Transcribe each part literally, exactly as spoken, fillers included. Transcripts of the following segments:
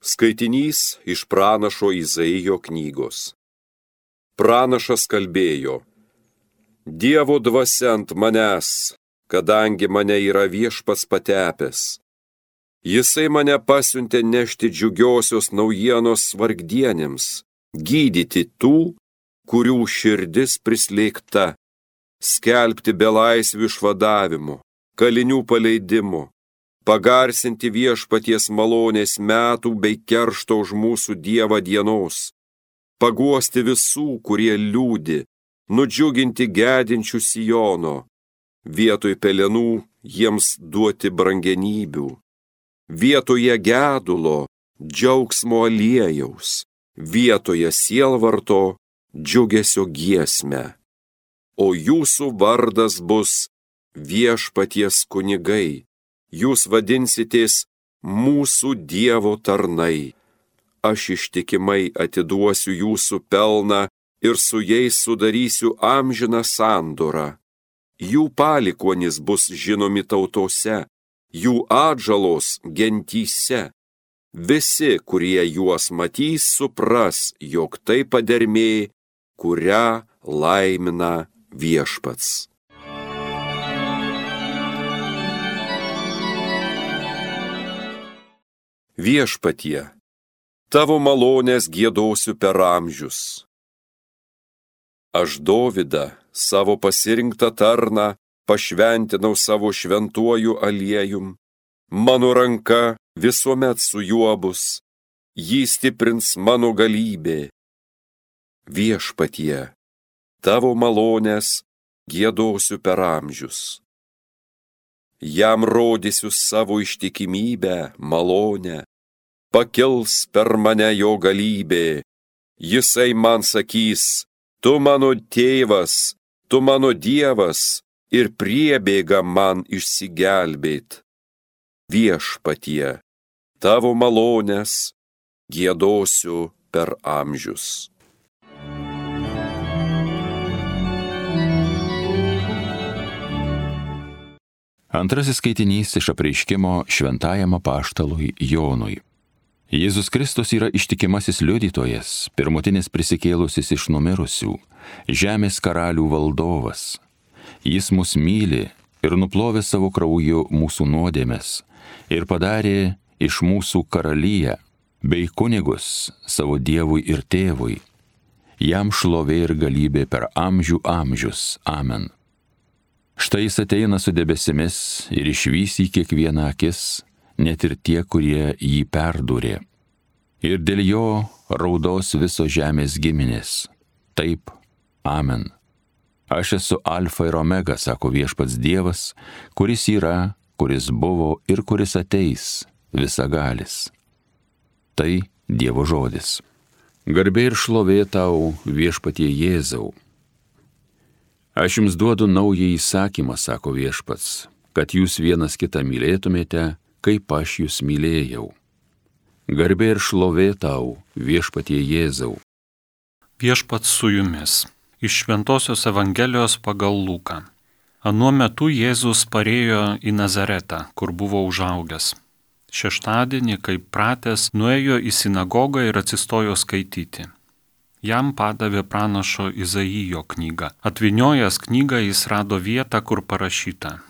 Skaitinys iš pranašo Izaijo knygos. Pranašas kalbėjo: Dievo dvasia ant manęs, kadangi mane yra Viešpats patepęs. Jisai mane pasiuntė nešti džiugiosios naujienos vargdienėms, gydyti tų, kurių širdis prislėgta, skelbti belaisvių išvadavimo, kalinių paleidimo, pagarsinti Viešpaties malonės metų bei keršto už mūsų Dievą dienos, paguosti visų, kurie liūdi, nudžiuginti gedinčių Sijono, vietoj pelenų jiems duoti brangenybių, vietoje gedulo džiaugsmo aliejaus, vietoje sielvarto džiugesio giesmę. O jūsų vardas bus Viešpaties kunigai, jūs vadinsitės mūsų Dievo tarnai. Aš ištikimai atiduosiu jūsų pelną ir su jais sudarysiu amžiną sandorą. Jų palikuonys bus žinomi tautose, jų atžalos gentyse. Visi, kurie juos matys, supras, jog tai padermė, kurią laimina Viešpats. Viešpatie, tavo malonės giedosiu per amžius. Aš Dovydą, savo pasirinktą tarną, pašventinau savo šventuoju aliejum. Mano ranka visuomet su juo bus, jį stiprins mano galybė. Viešpatie, tavo malonės giedosiu per amžius. Jam rodysiu savo ištikimybę, malonę, pakils per mane jo galybė. Jisai man sakys: tu mano tėvas, tu mano Dievas, ir priebėga man išsigelbėt. Viešpatie, tavo malonės giedosiu per amžius. Antrasis skaitinys iš apreiškimo šventajam apaštalui Jonui. Jėzus Kristus yra ištikimasis liudytojas, pirmutinis prisikėlusis iš numirusių, žemės karalių valdovas. Jis mus myli ir nuplovė savo krauju mūsų nuodėmes ir padarė iš mūsų karaliją bei kunigus savo Dievui ir Tėvui. Jam šlovė ir galybė per amžių amžius. Amen. Štai jis ateina su debesimis ir išvys į kiekvieną akis, net ir tie, kurie jį perdūrė. Ir dėl jo raudos viso žemės giminės. Taip, amen. Aš esu Alfa ir Omega, sako Viešpats Dievas, kuris yra, kuris buvo ir kuris ateis, visagalis. Tai Dievo žodis. Garbė ir šlovė tau, Viešpatie Jėzau. Aš jums duodu naują įsakymą, sako Viešpats, kad jūs vienas kitą mylėtumėte, kaip aš jūs mylėjau. Garbė ir šlovė tau, Viešpatie Jėzau. Viešpats su jumis. Iš Šventosios Evangelijos pagal Luką. Anuo metu Jėzus parėjo į Nazaretą, kur buvo užaugęs. Šeštadienį, kaip pratęs, nuėjo į sinagogą ir atsistojo skaityti. Jam padavė pranašo Izaijo knygą. Atvyniojęs knygą jis rado vietą, kur parašyta: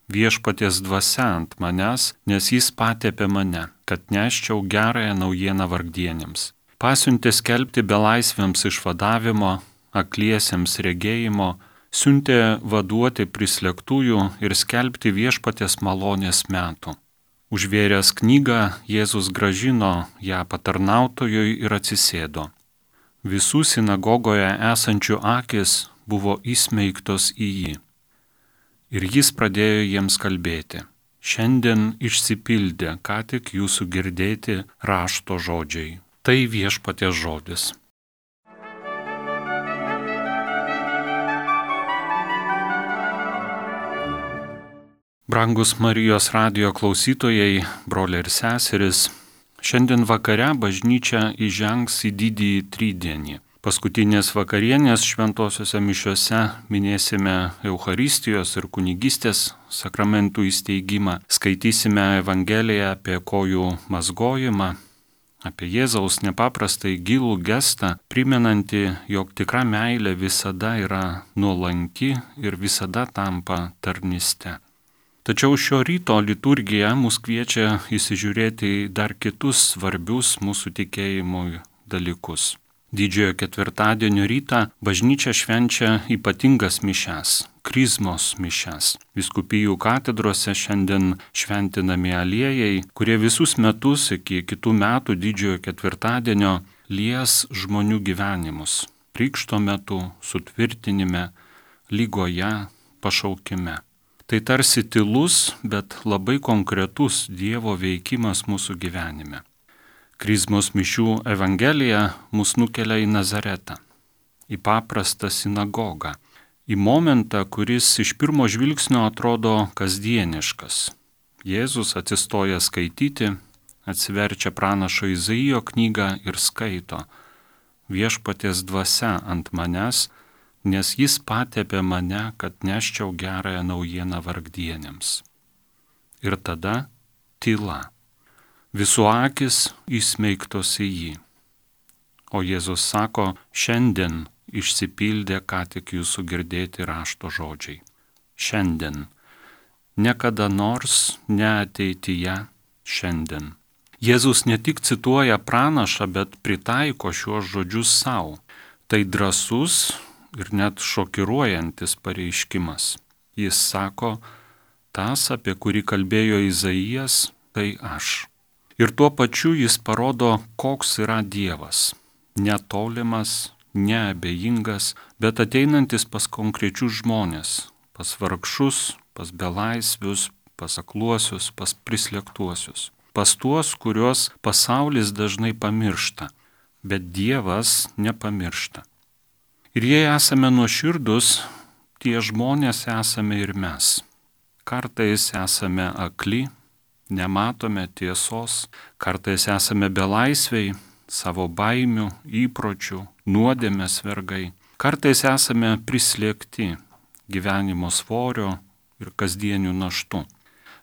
Viešpaties dvasia ant manęs, nes jis patepė mane, kad neščiau gerąją naujieną vargdienėms. Pasiuntė skelbti belaisviams išvadavimo, akliesiems regėjimo, siuntė vaduoti prislėgtųjų ir skelbti Viešpaties malonės metų. Užvėręs knygą, Jėzus grąžino ją patarnautojui ir atsisėdo. Visų sinagogoje esančių akis buvo įsmeigtos į jį. Ir jis pradėjo jiems kalbėti: šiandien išsipildė, ką tik jūsų girdėti rašto žodžiai. Tai Viešpaties žodis. Brangus Marijos radijo klausytojai, broliai ir seserys, šiandien vakare bažnyčia įžengs į didįjį trydienį. Paskutinės vakarienės šventosiuose mišiuose minėsime Eucharistijos ir kunigystės sakramentų įsteigimą, skaitysime Evangeliją apie kojų mazgojimą, apie Jėzaus nepaprastai gilų gestą, primenantį, jog tikra meilė visada yra nuolanki ir visada tampa tarnyste. Tačiau šio ryto liturgija mus kviečia įsižiūrėti į dar kitus svarbius mūsų tikėjimui dalykus. Didžiojo ketvirtadienio rytą bažnyčia švenčia ypatingas mišias, krizmos mišias. Vyskupijų katedrose šiandien šventinami aliejai, kurie visus metus iki kitų metų didžiojo ketvirtadienio lies žmonių gyvenimus. Krikšto metu, sutvirtinime, lygoje, pašaukime. Tai tarsi tylus, bet labai konkretus Dievo veikimas mūsų gyvenime. Krizmos mišių evangelija mus nukelia į Nazaretą, į paprastą sinagogą, į momentą, kuris iš pirmo žvilgsnio atrodo kasdieniškas. Jėzus atsistoja skaityti, atsiverčia pranašo Izaijo knygą ir skaito: Viešpaties dvasia ant manęs, nes jis patepė mane, kad neščiau gerąją naujieną vargdienėms. Ir tada tyla. Visų akis įsmeigtos į jį. O Jėzus sako, šiandien išsipildė ką tik jūsų girdėti rašto žodžiai. Šiandien. Ne kada nors, ne ateityje, šiandien. Jėzus ne tik cituoja pranašą, bet pritaiko šiuos žodžius savo. Tai drąsus ir net šokiruojantis pareiškimas. Jis sako, tas, apie kurį kalbėjo Izaijas, tai aš. Ir tuo pačiu jis parodo, koks yra Dievas. Netolimas, neabejingas, bet ateinantis pas konkrečius žmonės, pas vargšus, pas belaisvius, pas akluosius, pas prislėgtuosius, pas tuos, kuriuos pasaulis dažnai pamiršta, bet Dievas nepamiršta. Ir jei esame nuoširdus, tie žmonės esame ir mes. Kartais esame akli, nematome tiesos, kartais esame belaisviai, savo baimių, įpročių, nuodėmės vergai. Kartais esame prislėgti gyvenimo svorio ir kasdienių naštų.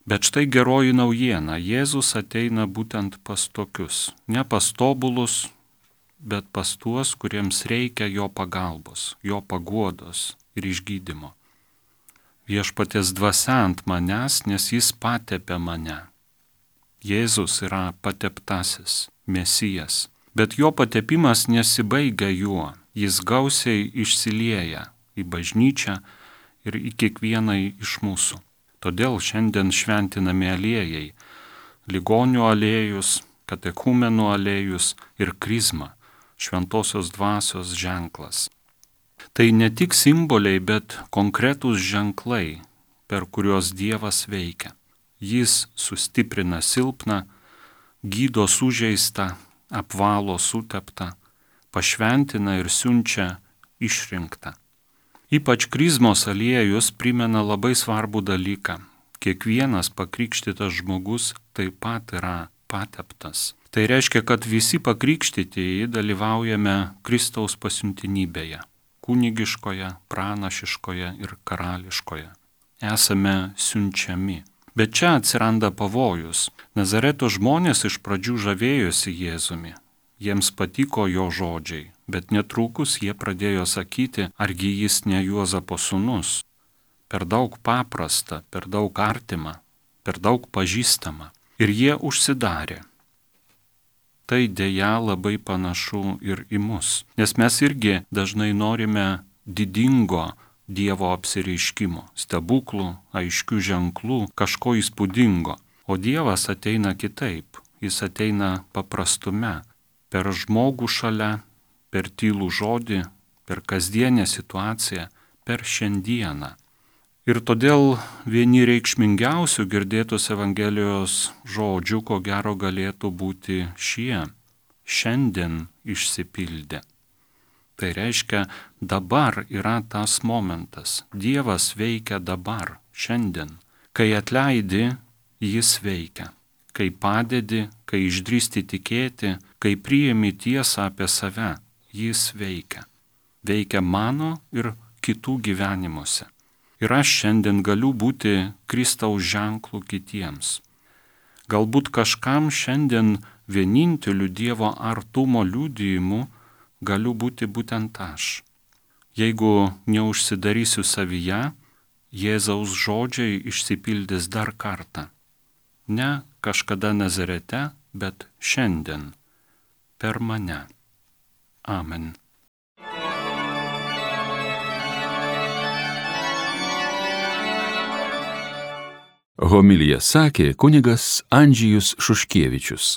Bet štai geroji naujiena, Jėzus ateina būtent pas tokius, ne pas tobulus, bet pas tuos, kuriems reikia jo pagalbos, jo paguodos ir išgydymo. Viešpaties dvasia ant manęs, nes jis patepė mane. Jėzus yra pateptasis, Mesijas, bet jo patepimas nesibaigia juo, jis gausiai išsilieja į bažnyčią ir į kiekvieną iš mūsų. Todėl šiandien šventinami aliejai, ligonių aliejus, katechumenų aliejus ir krizma, šventosios dvasios ženklas. Tai ne tik simboliai, bet konkretūs ženklai, per kuriuos Dievas veikia. Jis sustiprina silpną, gydo sužeistą, apvalo suteptą, pašventina ir siunčia išrinktą. Ypač krizmos aliejus primena labai svarbų dalyką. Kiekvienas pakrikštytas žmogus taip pat yra pateptas. Tai reiškia, kad visi pakrikštytieji dalyvaujame Kristaus pasiuntinybėje, kunigiškoje, pranašiškoje ir karališkoje. Esame siunčiami. Bet čia atsiranda pavojus. Nazareto žmonės iš pradžių žavėjosi Jėzumi. Jiems patiko jo žodžiai, bet netrukus jie pradėjo sakyti, argi jis ne Juozapo sūnus. Per daug paprasta, per daug artima, per daug pažįstama. Ir jie užsidarė. Tai dėja labai panašu ir į mus, nes mes irgi dažnai norime didingo Dievo apsireiškimo, stebuklų, aiškių ženklų, kažko įspūdingo. O Dievas ateina kitaip, jis ateina paprastume, per žmogų šalia, per tylų žodį, per kasdienę situaciją, per šiandieną. Ir todėl vieni reikšmingiausių girdėtos Evangelijos žodžių, ko gero galėtų būti šie: šiandien išsipildė. Tai reiškia, dabar yra tas momentas. Dievas veikia dabar, šiandien. Kai atleidi, jis veikia. Kai padedi, kai išdrįsti tikėti, kai priimi tiesą apie save, jis veikia. Veikia mano ir kitų gyvenimuose. Ir aš šiandien galiu būti Kristaus ženklų kitiems. Galbūt kažkam šiandien vieninteliu Dievo artumo liudijimu galiu būti būtent aš. Jeigu neužsidarysiu savyje, Jėzaus žodžiai išsipildys dar kartą. Ne kažkada Nazarete, bet šiandien, per mane. Amen. Homiliją sakė kunigas Andžejus Šuškievičius.